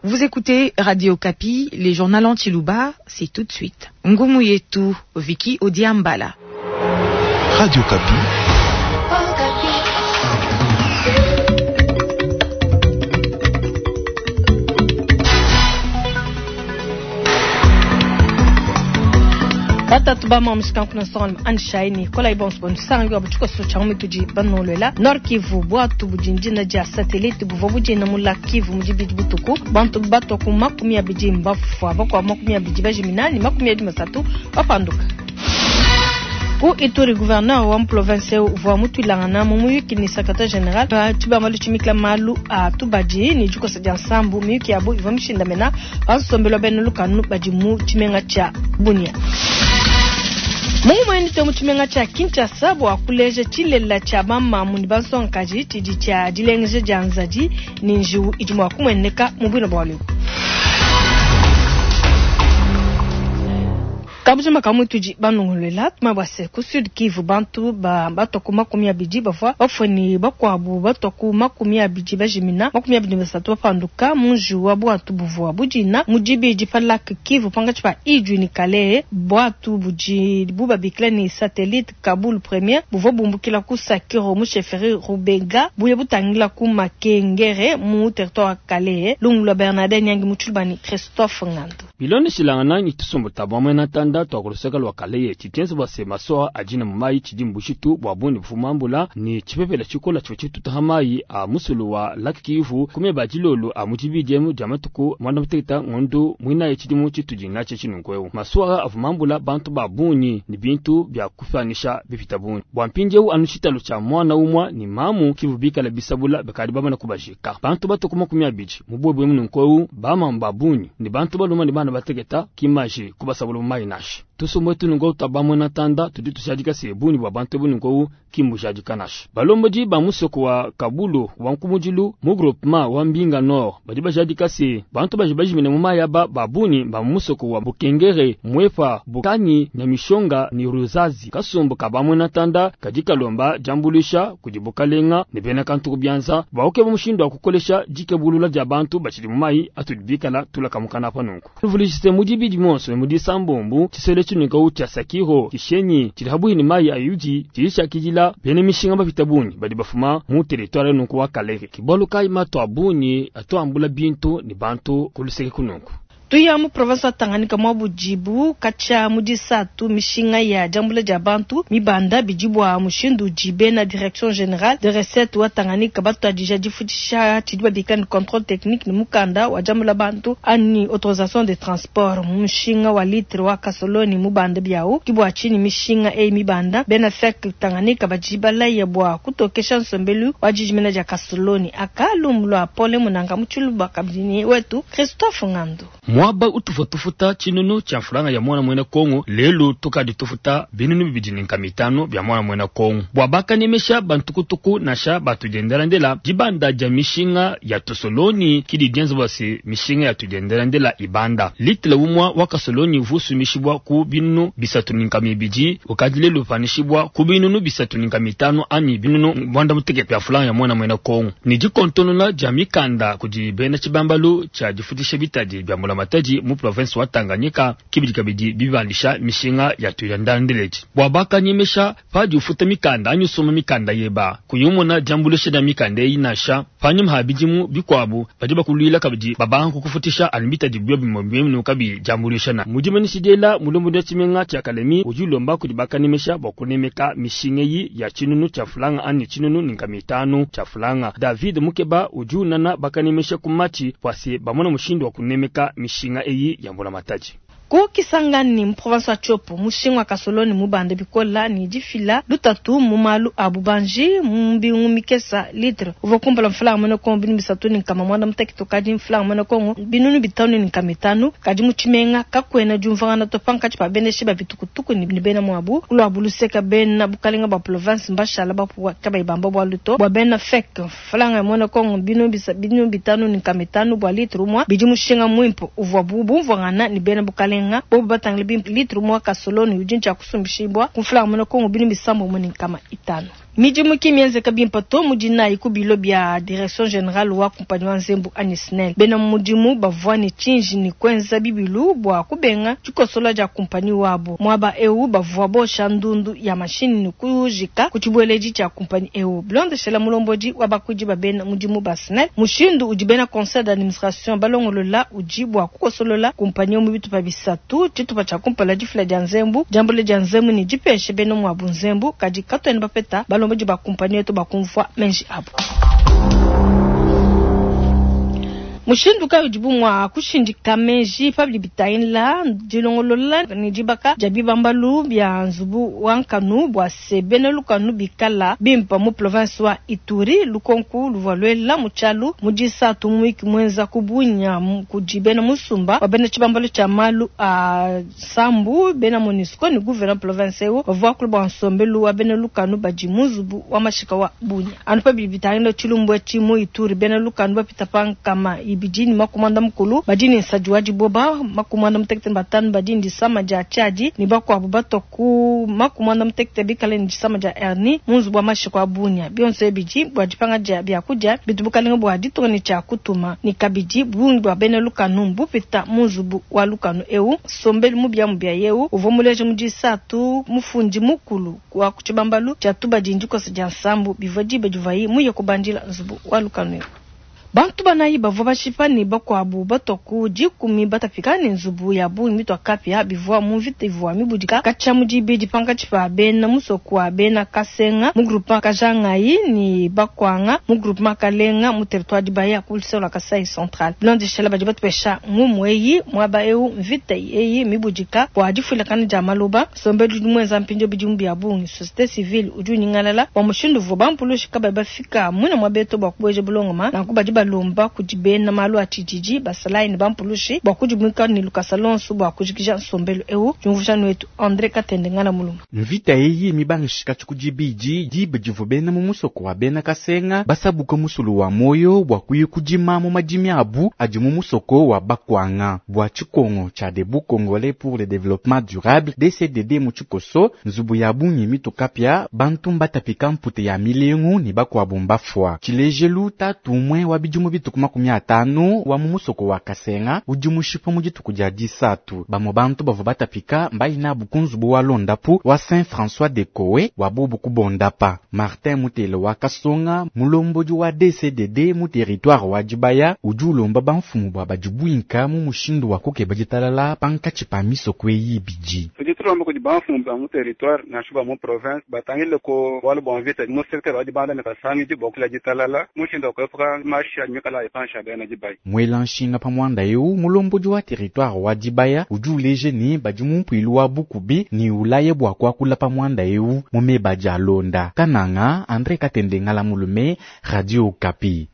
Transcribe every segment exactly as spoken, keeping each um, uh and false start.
Vous écoutez Radio Okapi, les journaux en tshiluba, c'est tout de suite. Ngumu yetu, Vicky Odiambala. Radio Okapi. Batatu ba mamusika kuna songa anshaini kola ibons bon sangi wa buchiko so cha mituji banolola Nord Kivu bwatu bujinjina ja satellite buvua bujina mu Lac Kivu mujibidi butuku bantu bato ku makumi abidi mbafwa bakwa makumi abidi bajiminani makumi abidi masatu bapanduka ku Ituri gouverneur wa province uvua mutwilangana mu muyuki ni secrétaire général tshibamba tshimikila malu a tubadi ni dikosa dia nsambu miyuki yabo ivua mishindamena bansombelwa bena lukanu badi mu tshimenga tshia Bunia. Mungu mwendite mu tshimenga tshia Kinshasa bua kuleja tshilela tshia bamamu ne bansongakaji tshidi tshia dilengeja dia nzadi ni njiwu idi mua kumueneka mu bwina bua lelu. Kabujima kamutudi banongolela tuma bwase ku Sud Kivu bantu ba batoku makumi abidi bavua bafue bakwabu batoku makumi abidi bajimina makumi abidi basatu bapanduka munji wa bwatu buvua budina mudibidi pa Lac Kivu pangatshi pa Idjwi ni Kalehe bwatu budi bubabikila ni satellite Kabul Premier buvua bumbukila ku Sakiro mu chefferie Rubenga buye butangila ku Makengere mu territoire wa Kalehe lungu lwa Bernardin Nyangi mutshulubani Christophe Ngando biloneshilangana ni tusumbu tabwa na tanda twakuluseka lwa Kalehe tshitenzi bwa se masoa ajina mumayi tshidi mbushitu bwa bundi bufumambula ni tshipepela tshikola tshivua tshitutaha mayi a musulu wa Lac Kivu kumeba dilolo a mutshibidi dia matuku mwanda muteketa ngondu mwinayi tshidimu tshitudi natshi tshinunkweu masuwa avumambula bantu ba bunyi ni bintu bya kufanisha bipita bunyi bwa mpindieu anu tshitalo tshia mwana umwa ni mamu kivu bikala bisabula bakadi bamana kubajika bantu batuku makumi abidi mubwebwe mununkweu bamamu ba bunyi ni bantu baluma ni bana bateketa kimaji kubasabula mumayi nashi tusomwe tunungo tabamwe na tanda tudi tushadika sebuni bwa bantu bunungo kimbushadika nashi balomboji ba musoko wa Kabulo wa nkumujilu mu groupement wa Mbinga Nord badi bashadika se bantu baji bajimine mu mayaba babuni ba musoko wa Bukengere Mwefa Bukanyi Nyamishonga ni Ruzazi kasumbu kabamwe na tanda kadi kalomba jambulisha kudibukalenga ne bena kantu kubyanza bauke mushindo wa kukolesha jikebulula dia bantu bachili mu mayi atudibikala tulakamukana pa nunku tuvulishise mudibidi monso mudisambombu chisele chinuka cha Sakiro kishenyi chili habuhi ni mayi ayuji chilisha kijila bene mishinga bapita bunyi badi bafuma mu territoire nunku wa Kalehe kibolu kai mato abunyi atuambula bintu ni bantu kuluseke kununku tuya mu province wa Tanganyika mwa bujibu kacha mudisatu mishinga ya jambula dia bantu mibanda bidibwa mushindu jibe na direction générale de recette wa Tanganyika batu adija difutisha tshidi babika ni contrôle technique ni mukanda wa jambula bantu ani autorisation de transport mushinga wa litre wa kasoloni mubanda biao kibwa chini mishinga e mibanda bena fek Tanganyika bajibala ya bwa kutokesha nsombelu wa jijimena dia kasoloni akalumulwa pole munanga muchuluba kabini wetu Christophe Ngando mwaba utufutufuta tshinunu tshia mfulanga ya mwana mwena Kongo lelu tukadi tufuta binunu bibidi ni nkama mitano bya mwana mwena Kongo bwa bakanemesha bantukutuku nasha batujendelandela dibanda dia mishinga ya tosoloni kidi dienza bwase mishinga ya tujendelandela ibanda litile umwa wa kasoloni vusumishibwa ku binunu bisatu ni nkama ibidi ukadi lelu panishibwa ku binunu bisatu ni nkama mitano ani binunu mwanda muteke bya fulanga ya mwana mwena Kongo ni dikontonona dia mikanda kudi bena tshibambalu tshia difutisha bitadi bya mula mataji mu province wa Tanganyika kibidi kabidi bibandisha mishinga ya tuyandandeleti bwa bakanyemesha padi ufuta mikanda anyusoma mikanda yeba kuyumona jambulisha da mikanda inasha panyuma habijimu bikwabu badi bakulwila kabidi babanku kufutisha alibita dibyo bimwe kabi jambulisha na mujimanishidela mulombo da chimenga cha Kalemi ujulomba kudi bakanemesha bakunemeka mishinga yi ya chinunu cha fulanga ani chinunu ninka mitano cha fulanga David Mukeba ujunana bakanemesha kumachi pwase bamona mushindo wa kunemeka mishinga eyi ya mbula mataji ku Kisangani mu province wa Tshopo mushinga wa kasoloni mubanda bikola ni difila lutatu mu malu a bubanji mu mbingu mikesa litre uvua kumpala mfulanga mwene Kongo binu bisatu ni nkama mwanda mutekete kadi mfulanga mwene Kongo binunu bitanu ni nkama itanu kadi mu tshimenga kakuena diumvangana to pankatshi pa beneshi ba bitukutuku ni bena muabu kuluabu luseka bena bukalenga bua province mbashala bapuwa kabayi bamba bua luto bua bena fek mfulanga ya mwene Kongo binu bisa binu bitanu ni nkama itanu bua litre umua bidi mushinga mwimpe uvua bumvangana ni bena bukalenga nga bobu batangile bimpe litre mwa kasoloni udi ntshia kusumbishibwa ku mfulanga mwene Kongo binu bisambo mu ni nkama itanu. Midimu ki mienzeka bimpe to mu dinayi ku bilo bia direction générale wa compagnie wa nzembu anyi SNEL. Bena mudimu bavua ne tshinji ne kuenza bibilu bua kubenga dikosola dia compagnie wabo. Muaba eu bavua bosha ndundu ya mashini ne kujika ku tshibueledi tshia compagnie eu. Bilondeshela mulombodi wa bakuidi ba bena mudimu ba SNEL, mushindu udi bena conseil d'administration balongolola udi bua kukosolola compagnie mu bitupa bisatu. Tshitupa tshia kumpala difila dia nzembu, diambula dia nzembu ne dipeshe bena muabu nzembu, kadi katuena bapeta balombodi ba compagnie yetu bakumvua menji abo. Mushindu kayi udibu mua kushindika meji pabidi bitangila dilongolola ne dibaka dia bibambalu bia nzubu wa nkanu bua se bena lukanu bikala bimpa mu province wa Ituri, lukonku luvua luela mu tshialu mu disatu mu wiki muenza ku Bunia kudi bena musumba wa bena tshibambalu tshia malu a sambu bena MONUSCO ne gouverneur province eu bavua kula bua nsombelu wa bena lukanu badi mu nzubu wa mashika wa Bunia. Anu pabidi bitangila tshilumbu etshi mu Ituri, bena lukanu bapita pa nkama ibidi ni makumanda mukulu badi ni nsadi wa diboba makumanda mutekete batanu badi ni disama dia tshiadi ni bakuabu batwa ku makumanda mutekete bikale ni disama dia hernie mu nzubu wa mashika wa Bunia. Bionso ebidi bua dipanga dia biakudia bitu bukalenga bua ditunga ne tshia kutuma ni kabidi bungi bua bena lukanu bupita mu nzubu wa lukanu eu. Sombelu mubia mubia yeu uvua muleje mu disatu mufundi mukulu wa ku tshibambalu tshia tubadi ndikosa dia nsambu bivua diba divayi muye kubandila nzubu wa lukanu eu. Bantu banayi bavua bashipa ne bakuabu batwa ku dikumi batapika ne nzubu ya bungi mitwa kapia bivua mu mvita ivua mibudika katshia mu dibidi pankatshi pa bena musoko wa bena Kasenga mu groupement Kajangayi ne Bakwanga mu groupement Kalenga mu territoire Dibaya ku luseke lua Kasai Central. Bilondeshela badi batupesha ngumu eyi muaba eu mvita eyi mibudika bua difuilakana dia maloba. Nsombelu udi muenza mpindieu bidimu bia bungi. Société civile udi unyingalala bua mushindu uvua bampulushi kabayi bafika muina mua beto bua kubueja bulongoma, nanku badi balomba kudi bena malu a tshididi basalayi ne bampulushi bua kudimuka ne lukasa lonso bua kujikija nsombelu eu. Diumvuija wetu André Katende ngana muluma. Mvita eyi mibangishika tshikudibidi diba divua bena mu musoko wa bena Kasenga basabuka musulu wa moyo bua kuya kudima mu madimi abu adi mu musoko wa Bakwanga bua tshikongo tshia Debout Congolais pour le développement durable D C D D mu tshikoso nzubu ya bungi mitukapia bantu mbatapika mpute ya milengu ne bakuabu mbafua. Tshilejelu tatu umwe wa bidimu bituku makumi atanu wa mu musoko wa Kasenga udi mushipa mu dituku dia disatu. Bamwe bantu bavua batapika mbaina bu kunzubu wa Londapu wa Saint François de Kowe wa bubu kubondapa. Martin Mutele wa Kasonga mulombodi wa D C D D mu territoire wa Dibaya udi ulomba bamfumu bua badibuinka mu mushindu wa kukeba ditalala pankatshi pa misoko eyi ibidi. Tudi tulomba kudi bamfumu ba mu territoire nansha ba mu province batangile ko bualu bua mvita mu secteur wa Dibanda ne Kasangidi bua kula ditalala mushindu wa kuepuka mashi a mikala ipansha bena Dibaya. Mwela nshinga pa mwanda eu mulombodi wa territoire wa Dibaya udi uleje ne badi mu mpuilu wa Bukubi ni ulaye bua kuakula pa mwanda eu mu meba dia Londa. Kananga André Katende Ngala Mulume, Radio Okapi.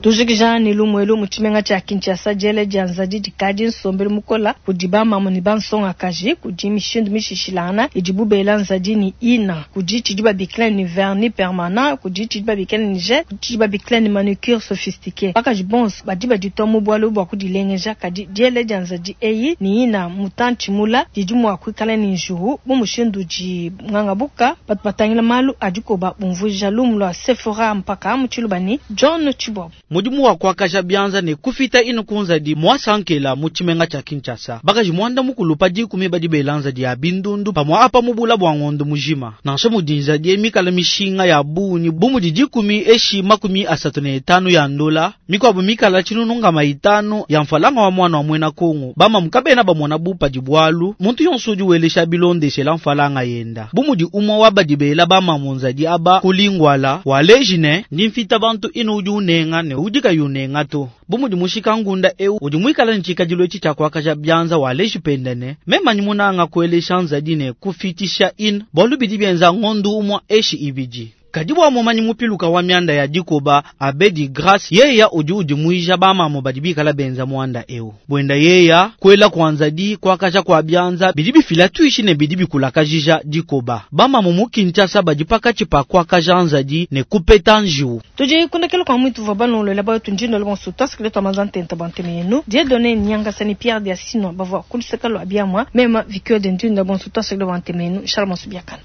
Tujikija ni lumwelu mu tshimenga tshia Kinshasa diele dia nzadi dikadi nsombelu mukola kudi bamamu ne bansongakaji kudi mishindu mishishilangana idibu bela nzadi ni ina kudi tshidi babikila ni vernis permanent kudi tshidi babikila ni gel kudi tshidi babikila ni manucure sophistiqué. Bakaji bonso badi baditwa mu bualu bua kudilengeja kadi diele dia nzadi eyi ni ina mutantshi mula didi mua kuikala ni njuhu bu mushindu di ngangabuka batu batangila malu adikoba bumvuija lumu lua Sephora mpaka mu tshilubani John Chibob. Mudimu wa kuakaja bianza ne kufita inu kunzadi mwasankela mu tshimenga tshia Kinshasa. Bakaji mwanda mukulu pa dikumi badi belanza dia bindundu pamwa apa mubula bua ngondo mujima. Nansha mudinza die mikala mishinga ya bunyi bu mudi dikumi eshi makumi asatu ne etanu ya ndola mikwabu mikala tshinunu maitanu ya mfalanga wa mwana wa mwena Kongo. Bama mukabena bamona bupa dibwalu muntu yonso udi welesha bilondeshela mfalanga yenda. Bu mudi umwa wa badi bela bama munzadi aba kulingwala walejine ndi mfita bantu inu udi unenga ne udi kayunenga to. Bu mudi mushika ngunda eu udi mwikala ntshikadilu etshi tshia kuakaja bianza waleji pendene memanyi munanga kuelesha nzadi ne kufitisha in bwalu bidi bienza ngondu umwa eshi ibidi. Kadi bua mumanyi mupiluka wa mianda ya dikoba Abedi Grace yeya udi udimuija ba mamu badi bikala benza muanda eu. Buenda yeya kwela kwa nzadi kwakaja kwa bianza bidi bifila tuishi ne bidi bikulakajija dikoba. Ba mamu mu Kinshasa badi pakatshi pa kwakaja nzadi ne kupeta njiwu. Tudi kundekela kwa mwitu vwa banolola bayo tunjindo le bonso twasikile twa mazantenta banteme yenu. Dieudonné Nyangasa ni Pierre Diasino bavwa kuluseka lwa biamwa mema Victoire de Ndunda bonso twasikile banteme yenu. Shalom subiakana.